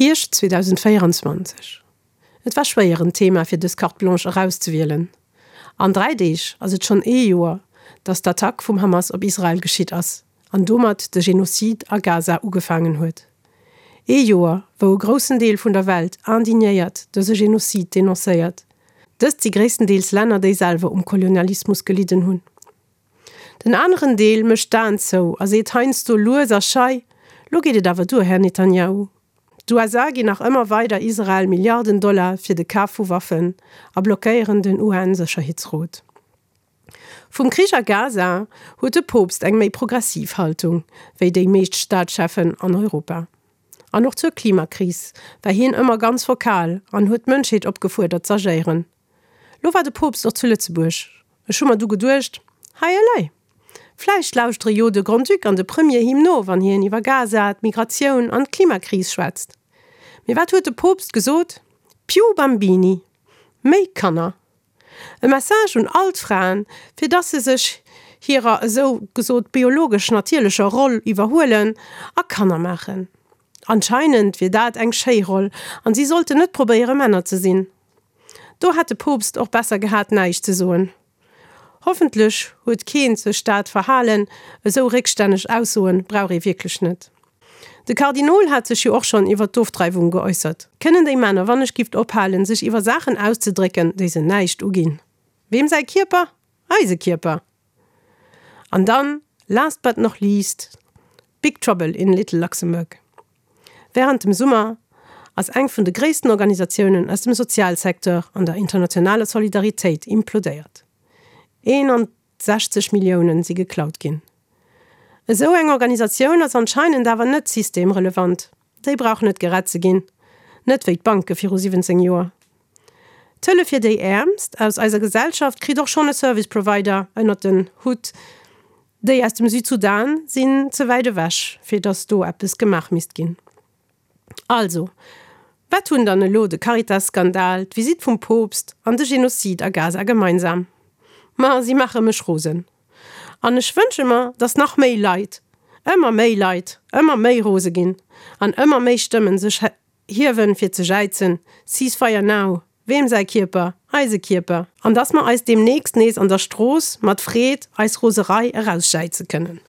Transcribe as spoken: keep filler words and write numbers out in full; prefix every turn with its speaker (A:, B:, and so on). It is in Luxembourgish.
A: Hierscht zweedausendvéieranzwanzeg. Et war schwéier en Thema fir dës Carte Blanche erauszewielen. An dräi Deeg ass et schonn ee Joer, datt d'Attack vum Hamas op Israel geschitt ass an domat de Genozid a Gaza ugefaangen huet. Ee Joer, wou e groussen Deel vun der Welt indignéiert dëse Genozid denoncéiert. Dëst si gréisstendeels Länner, déi selwer um Kolonialismus gelidden hunn. Den aneren Deel mécht d'Aen zou a seet heiansdo lues a schei, Lo geet et awer duer, Här Netanjahu. D'USA ginn nach ëmmer weider Israel Milliarden Dollar fir de Kaf vu Waffen a blockéieren den UN-Sécherheetsrot. Vum Krich a Gaza huet de Poopst eng méi progressiv Haltung wéi déi meescht Staatscheffen an Europa. An och zur Klimakris war hien ëmmer ganz vokal an huet d'Mënschheet opgefuerdert z'agéieren. Lo war de Poopst och zu Lëtzebuerg. Ech hu mer du geduecht, Hei elei! Vläicht lauschtere jo de Grand-Duc an de Premier him no, wann hien iwwer Gaza, d'Migratioun an d'Klimakris schwätzt. Mee wat huet de Poopst gesot? Più bambini! Méi Kanner! E Message un all d'Fraen, fir dass se sech hirer esou gesot biologesch natierlecher Roll iwwerhuelen a Kanner maachen. Anscheinend wier dat eng schéi Roll an si sollten net probéiere Männer ze sinn. Do hätt de Poopst och besser gehat näischt ze soen. Hoffentlech huet keen sech dat verhalen, esou réckstänneg Aussoen brauch ee wierklech net. De Kardinol hat sech jo och schonn iwwer d'Ofdreiwung geäussert. Kënnen déi Männer wannechgift ophalen, sech iwwer Saachen auszedrécken, déi se näischt uginn? Weem säi Kierper? Eise Kierper! An dann, last but noch least, Big Trouble in Little Luxembourg. Wärend dem Summer ass eng vun de gréissten Organisatiounen aus dem Sozialsecteur an der internationaler Solidaritéit implodéiert. eenandsechzeg Milliounen si geklaut ginn. Esou eng Organisatioun ass anscheinend awer net systemrelevant. Déi brauch net gerett ze ginn. Net wéi d'Banke viru siwwenzéng Joer. D'Hëllef fir déi Äermst aus eiser Gesellschaft kritt och schonn e Service Provider ënnert den Hutt. Déi aus dem Südsudan sinn ze wäit ewech, fir datt do eppes gemaach misst ginn. Also, wat hunn dann elo de Caritas-Skandal, d'Visitt vum Poopst an de Genozid a Gaza gemeinsam? Ma si maache mech rosen. An ech wënsche mer, datt nach méi Leit, ëmmer méi Leit, ëmmer méi rose ginn an ëmmer méi Stëmmen sech hiewen, fir ze jäizen, Ceasefire now! Weem säi Kierper? Eise Kierper! An datt mer eis deemnächst nees an der Strooss mat Freed eis Roserei erausjäize kënnen.